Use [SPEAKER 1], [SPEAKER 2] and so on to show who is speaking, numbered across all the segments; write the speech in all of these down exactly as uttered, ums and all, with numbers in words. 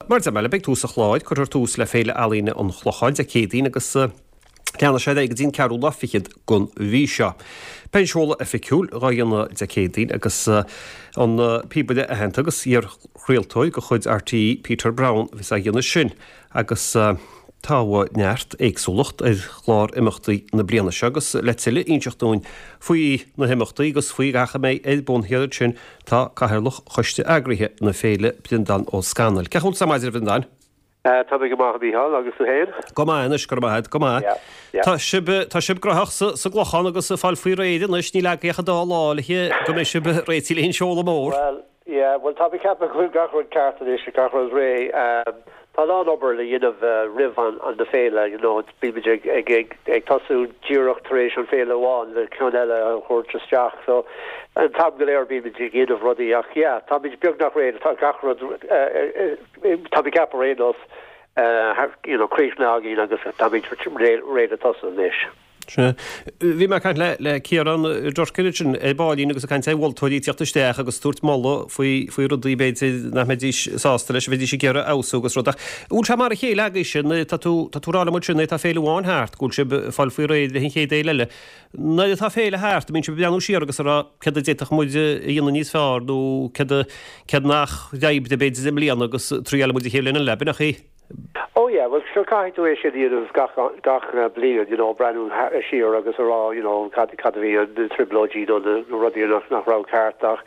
[SPEAKER 1] Mar a deir mé, beidh tús an chláir, cuirfear tús le Féile Ealaíne an Chlocháin Dé Céadaoin agus leanfaidh sé ar aghaidh go dtí an ceathrú lá fichead den mhí seo. Beidh an seoladh oifigiúil dhá dhéanamh Dé Céadaoin agus an píobaire aitheanta agus iar-chraoltóir de chuid RTÉ Peter Browne a bheas á dhéanamh sin agus tá neart éagsúlacht ar chlár imeachtaí na bliana seo agus le tuilleadh a inseacht dúinn faoi na himeachtaí agus faoi gach a mbeidh ar bun thiar ansin tá Cathaoirleach Choiste Eagraithe na Féile, Breandán Ó Scanaill. Cén chaoi a bhfuil tú ar maidin a Bhreandáin?
[SPEAKER 2] Tá mé go maith a Mhícheáil, agus tú féin?
[SPEAKER 1] Go maith anois, go raibh maith agat, go maith.
[SPEAKER 2] Yeah, yeah.
[SPEAKER 1] Tá sibh, tá sibh gnóthach sa, sa gClochán agus ag fáil faoi réir anois, níl agaibh ach an dá lá le go mbeidh sibh réitithe le an seoladh mór.
[SPEAKER 2] Well, yeah, well tá mé ag ceapadh go bhfuil gach rud ceart anois, gach rud réidh. Um, tá a lán obair le dhéanamh uh, roimh an, an na féile, you know, bímid ag, ag, ag, ag tosú díreach tar éis an féile amháin le ceann eile a thabhairt isteach. So an t-am go léir bímid ag dhéanamh rudaí ach yeah, táimid beagnach réidh, tá gach rud uh, uh, tá mé ag ceapadh ar aon nós uh, you know, críochnaithe againn agus táimid réidh le tosú anois.
[SPEAKER 1] Sea. Bhí mé ag caint le le Ciarán Durkin ansin ar baillín agus ag caint ar mholtóirí ag teacht isteach agus tabhairt moladh faoi faoi rudaí b'fhéidir nach mbeidís sásta leis, a bheidís ag iarraidh fheabhsú agus rud ach bhfuil sé mar a chéile agaibhse nuair atá tú tá tú ag rá liom ansin nuair atá féile amháin thart go bhfuil sibh ag fáil faoi réir leis an chéad fhéile eile. Nuair atá féile thart, an mbíonn sibh ag breathnú siar agus ag rá céard a d'fhéadfadh muid a dhéanamh níos fearr nó céard a céard nach d'oibrigh b'fhéidir i mbliana agus triailfidh muid an chéad bhliain eile, ab in í?
[SPEAKER 2] Oh yeah, well sure caithfidh tú é sin a dhéanamh gach gach uh, bliain, you know, breathnú siar agus a rá, you know, cad cad a bhí an na trioblóidí nó na na rudaí nach nach raibh ceart ach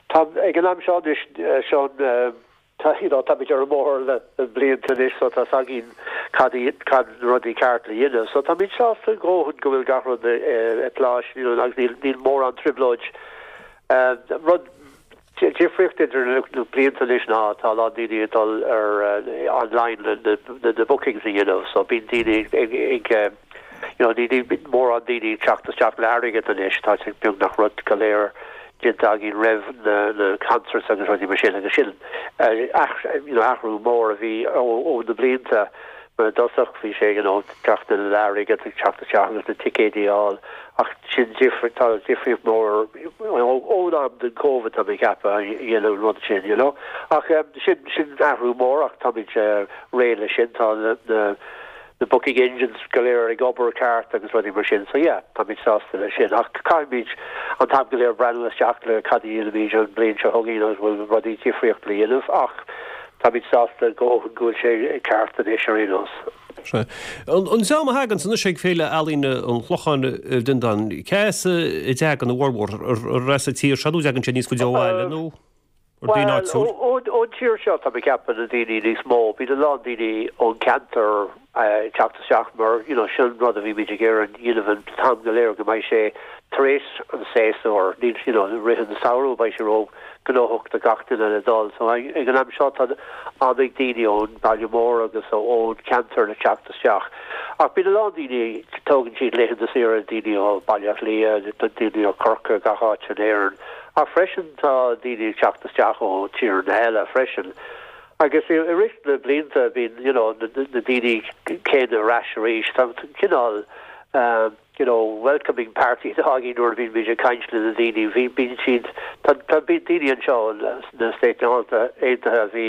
[SPEAKER 2] tá ag an am seo anois uh, Seán uh, tá you know, táimid ar an mbóthar le le blianta anois so tá a fhios againn cad í cad na rudaí ceart le dhéanamh. So táimid sásta go go bhfuil gach rud uh, i place, you know, agus níl níl mórán trioblóid. Uh, rud difríocht idir na na blianta anois ná tá a lán daoine ag dul ar uh, online na na na na bookings a dhéanamh, so bíonn daoine ag ag ag you know, ní ní mórán daoine ag teacht isteach le airgead anois, tá sé beagnach rud go léir déanta againn roimh na na concerts agus rudaí mar sin agus sin uh, you know, athrú mór a bhí ó, ó na blianta mar i dtosach bhí sé you know, teacht le airgead ag teacht isteach agus na ticéidí a fháil ach sin difri tá difríocht mór ón am den COVID tá mé ag ceapadh a dhéanamh an rud sin, you know. Ach um, sin sin athrú mór ach táimid uh, réidh le sin tá na, na na booking engines go léir ag obair ceart agus rudaí mar sin, so yeah, táimid sásta le sin ach caithfimid an t-am go léir breathnú isteach le cad a dhéanfaimid an bliain seo chugainn agus bhfuil rudaí difríocht le dhéanamh ach táimid sásta go go bhfuil sé ceart anois ar aon nós.
[SPEAKER 1] Sea. An an dream a thagann anois ag Féile Ealaíne an Chlocháin a Bhreandáin, cé as a dtagann a bhformhór ar as an tír seo nó dtagann sé níos faide ó bhaile nó ar daoine
[SPEAKER 2] Well,
[SPEAKER 1] áitiúil?
[SPEAKER 2] ó ón tír seo tá mé ag ceapadh na daoine níos mó, bíonn a lán daoine ón ceantar uh, teacht isteach mar you know, sin rud a bhí ag iarraidh a dhéanamh an t-am go léir go mbeidh sé tar éis an séasúr níl you know, rith an samhradh beidh sé ró-ghnóthach do gach duine le dul. So ag ag an am seo tá an-chuid daoine ón baile mór agus ón ceantar le teacht isteach. Ach bíonn a lán daoine tógann siad laethanta saoire daoine ó Baile Átha Cliath, daoine ó Corcaigh gach áit in Éirinn. Ach freisin tá daoine teacht isteach ó tíortha eile freisin. Agus i rith na blianta bíonn you know, na, na, na daoine céanna ar ais arís tá cineál um, you know, welcoming party againn nuair a bhíonn muid ag caint le na daoine bhí bíonn siad tá tá bí daoine anseo na Stáit Aontaithe a bhí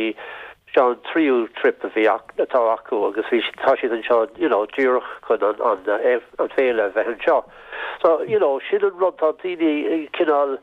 [SPEAKER 2] seo an tríú trip a bhí atá acu agus bhí tá siad anseo you know, díreach chun an, an, an féile a bheith anseo. So you know, sin an rud tá daoine cineál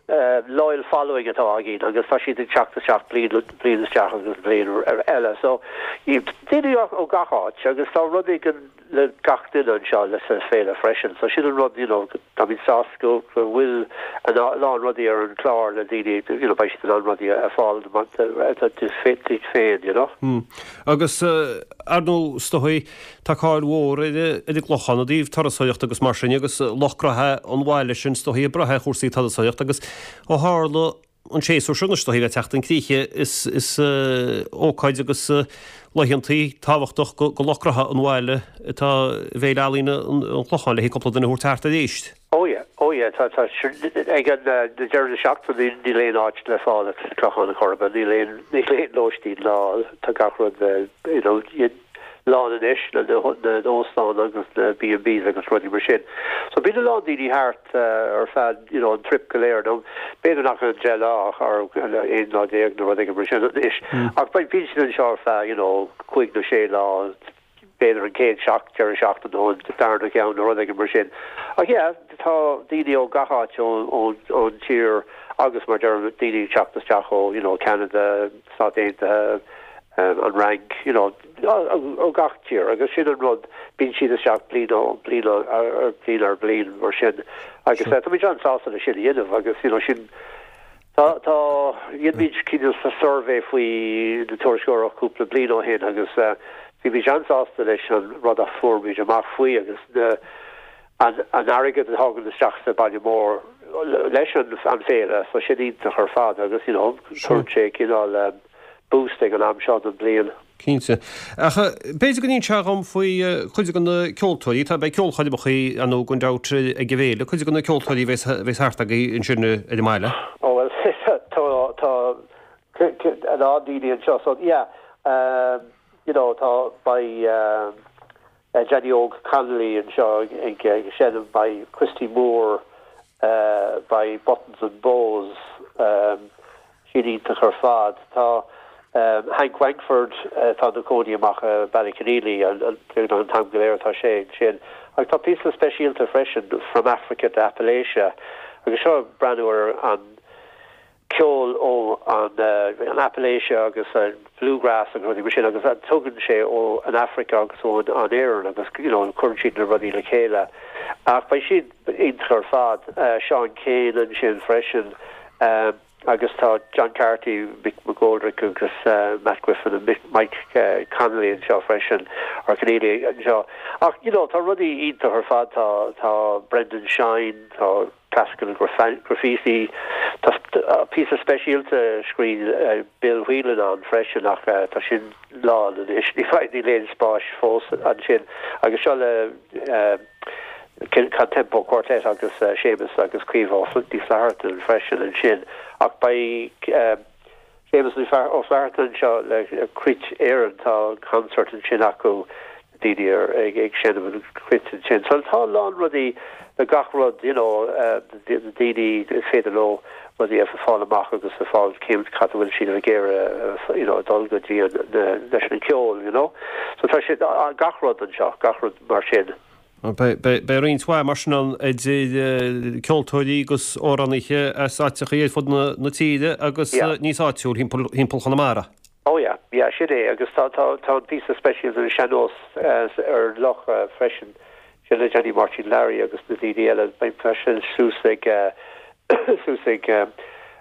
[SPEAKER 2] uh, loyal following atá againn agus tá siad ag teacht isteach bliain bliain isteach agus bliain ar eile. So daoine ó gach áit agus tá rud éigin le gach duine anseo le sa féile freisin. So sin an rud you know, tá mé sásta go go bhfuil an lán rudaí ar an chlár le daoine you know, beidh siad an rudaí a fáil duit féin, you know.
[SPEAKER 1] Hmm. Agus uh, ar ndóigh is dóigh tá cáil mhór ar ar an gClochán i dtaobh turasóireacht agus mar sin agus lucht gnó an bhaile sin is dóigh ag brath ar chúrsaí turasóireacht agus ó tharla an séasúr seo is dóigh le teacht chun críche is is uh, ócáid agus uh, laethantaí tábhachtach go, go lucht gnó an bhaile atá Féile Ealaíne an, an Chlocháin le cúpla duine a thabhairt thart arís.
[SPEAKER 2] Oh yeah, oh yeah, tá tá ag an uh, deireadh seachtaine níl aon áit le fáil ag Clochán na Coiribe, níl aon níl aon lóistín lá tá gach rud uh, you know, lán anois na na óstáin agus na B and Bs agus rudaí mar sin. So bíonn a lán daoine thart uh, ar feadh you know, an trip go léir nó b'fhéidir nach an deich lá ar aon lá déag nó rud mar sin anois. Ach bíonn siad anseo ar feadh you know, cúig nó sé lá b'fhéidir an chéad seach deireadh seachtaine nó an darna ceann nó rud mar sin. Ach yeah, tá daoine ó gach áit ón tír agus mar deir daoine teacht isteach ó you know, Canada, Stáit Aontaithe, um, an Fhrainc you know, ó gach tír agus sin an rud bíonn siad isteach bliain ó bliain ar bliain ar bliain mar sin agus sure. Tá an-sásta le sin a dhéanamh agus you know, sin Tá tá dhéanamar cineál sa survey faoi na turasóirí cúpla bliain ó shin agus uh, bhí bhí an-sásta leis an rud a fuair muid amach faoi agus na an an airgead a thagann isteach sa baile mór leis an an féile so sin iontach ar fad agus you know, tugann sé cineál um, boost ag an am seo den bliain.
[SPEAKER 1] Cinnte. Ach b'fhéidir go n-inseofá dhom faoi chuid de na ceoltóirí tá beidh ceolchoirmeacha ann gan dabht ag an bhféile, cuid de na ceoltóirí bheas thart agaibh ansin ar an mbaile.
[SPEAKER 2] Oh well tá tá a lán daoine anseo so yeah um, you know tá beidh um, uh, Johnny Óg Connolly anseo ag ag seinm beidh Christy Moore uh, beidh Buttons and Bows um, sin iontach ar fad tá um, Hank Wankford uh, tá ina chónaí amach uh, Ballyconneely an an an t-am go léir tá sé sin ag tá píosa speisialta freisin from Africa to Appalachia agus seo breathnú ar an ceol ó an uh, an Appalachia agus an bluegrass agus rudaí mar sin agus an tugann sé ó an Africa agus ó an Éireann agus you know, cuireann siad na rudaí le chéile. Ach beidh siad iontach ar fad uh, Sean Kane ansin freisin um, agus tá John Carty, Mick McGoldrick agus uh, Matt Griffin and Mick, Mike uh, Connolly anseo freisin ar Keneally anseo. Ach you know, tá rudaí iontach ar fad tá tá Brendan Shine, tá Classical Graffiti Tá uh, píosa speisialta scrín uh, Bill Whelan ann freisin ach uh, tá sin lán anois ní fáid léon spáis fós ansin agus seo le uh, Contempo Quartet agus uh, Seamus agus Caoimhe Ní Fhlatharta freisin ansin ach beidh uh, Seamus Ó Flatharta seo le Cruit Éireann tá concert ansin acu daoine ag ag seinm an cruit ansin. So tá lán rudaí le gach rud you know uh, daoine is féidir leo rudaí a fáil amach agus a fáil céim cad bhfuil siad ag iarraidh you know dul go dtí leis an ceol you know so tá sé gach rud anseo gach rud mar sin.
[SPEAKER 1] Beidh roinnt mhaith mar sin ann idir ceoltóirí agus amhránaithe as áiteacha ar fud na tíre agus níos áitiúil thimpeall Chonamara.
[SPEAKER 2] Oh yeah, yeah, sin é agus tá tá tá an píosa speisialta an sean-nós ar loch freisin sin le Johnny Martin Larry agus na daoine eile beidh freisin suas ag suas ag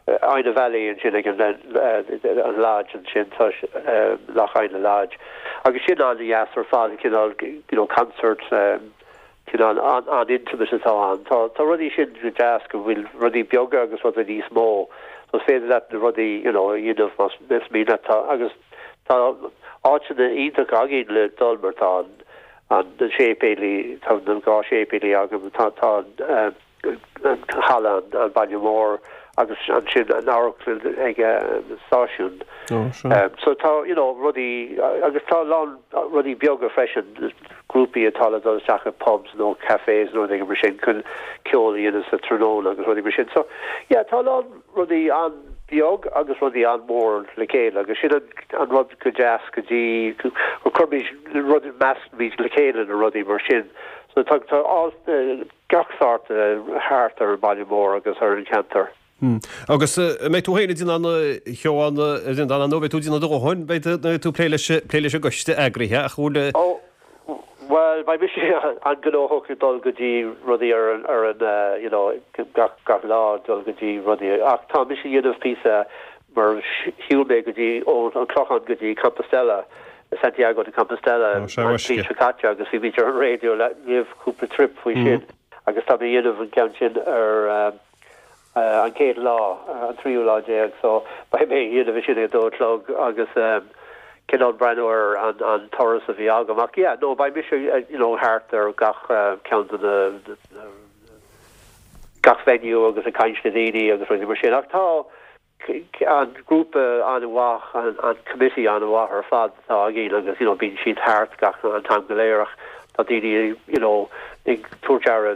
[SPEAKER 2] Inagh Valley ansin ag an an lodge ansin tá Loch Inagh Lodge. Agus sin an-deas ar fad cineál you know, concert um, cineál an an intimate atá an. Tá tá rudaí sin go deas go bhfuil rudaí beaga agus rudaí níos mó. So féidir leat na rudaí you know, dhéanamh más mian tá agus tá áiteanna iontach againn le dul mar tá an an séipéal tá an dhá séipéal agam tá tá an halla an baile mór agus ansin an amharclann ag stáisiún. Um, so tá you know, rudaí agus tá lán rudaí beaga freisin grúpaí atá le dul isteach i pubs nó cafés nó ag mar sin chun ceol a dhéanamh sa tráthnóna agus rudaí mar sin. So yeah, tá lán rudaí an-bheag agus rudaí an-mhór le chéile agus sin an, an rud go deas go dtí go cuirimid rud meascaimid le chéile na rudaí mar sin. So tá tá uh, gach sórt uh, thart ar an baile mór agus ar an ceantar.
[SPEAKER 1] Hmm. Agus mbeidh tú féin an cheann an nó tú dina dohun beidh tú plé leis plé leis an gcoiste eagraithe a chuile
[SPEAKER 2] Oh well beidh mise an-ghnóthach dul go dtí rudaí ar an ar an uh, you know gach gach lá dul go dtí rudaí ach tá mise dhéanamh píosa mar shiúil mé go dtí ó an Clochán go dtí Compostela Santiago de Compostela seo caite agus bhí ar an radio le libh cúpla trip faoi sin agus tá mé dhéanamh an ceann sin ar um, uh, an chéad lá uh, an tríú lá déag so beidh mé dhéanamh sin ag dó a chlog agus um, cineál breathnú ar an an turas a bhí agam ach yeah, no beidh mise uh, you know thart ar gach uh, ceann de na gach venue agus ag caint le daoine agus rudaí mar sin ach tá an grúpa an-mhaith an an committee an-mhaith ar fad atá againn agus you know bíonn siad thart gach an t-am go léir ach tá daoine you know ag tabhairt aire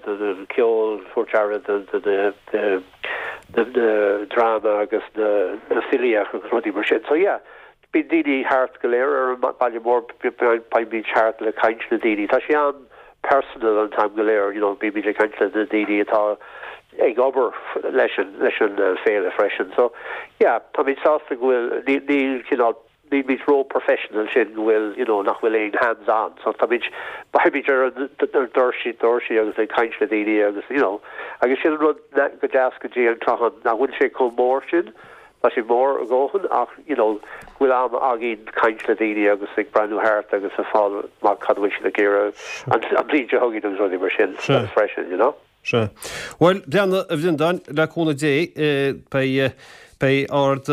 [SPEAKER 2] de de ceol tabhairt aire de de de de de dráma agus de de filíocht agus rudaí mar sin so yeah bíonn daoine thart go léir ar an baile mór beimid thart le caint le daoine tá sé an personal an t-am go léir you know bímid ag caint le na daoine atá ag obair leis an leis an uh, féile freisin so yeah táimid sásta go bhfuil ní ní cineál nílimid ró professional sin go bhfuil you know nach bhfuil aon hands on so táimid beimid ar an doirsí doirsí agus ag caint le daoine agus you know agus sin rud go deas go dtí an Clochán nach bhfuil sé chomh mór sin Tá sé mór a dhóthain ach you know bhfuil am againn caint le daoine agus ag breathnú thart agus a fáil amach cad bhfuil siad ag iarraidh an an bhliain seo chugainn agus rudaí mar sin freisin you know.
[SPEAKER 1] Sea. Bhuel, Breandán a Bhreandáin le cúnamh Dé beidh beidh ard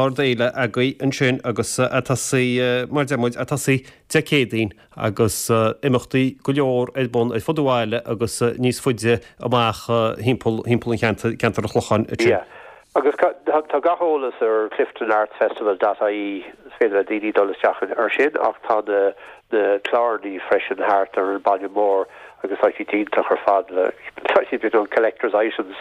[SPEAKER 1] ardfhéile agaibh ansin agus ag tosaí mar deir muid ag tosaí Dé Céadaoin agus imeachtaí go leor ar bun ar fud an bhaile agus níos faide amach thimpeall thimpeall an cheantar ceantar an Chlocháin ansin.
[SPEAKER 2] Yeah. Agus tá gach eolas ar cliftonartsfestival.ie is féidir le daoine dul isteach ar sin ach tá na na cláranna freisin thart ar an baile mór agus tá siad iontach ar fad le tá siad you know, collectors items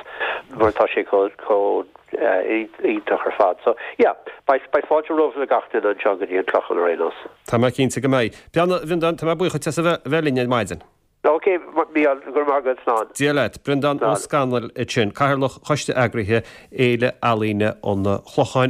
[SPEAKER 2] mar tá sé chomh chomh iontach ar fad. So yeah, beidh beidh fáilte romh le gach duine anseo go dtí an Clochán ar aon nós.
[SPEAKER 1] Tá mé cinnte go mbeidh. Breandán a Bhreandáin tá mé buíoch as a bheith linn ar maidin.
[SPEAKER 2] Ok, Mícheál go raibh maith agat slán.
[SPEAKER 1] Dia leat, Breandán Ó Scanaill ansin, Cathaoirleach Choiste Eagraithe Fhéile Ealaíne an Chlocháin.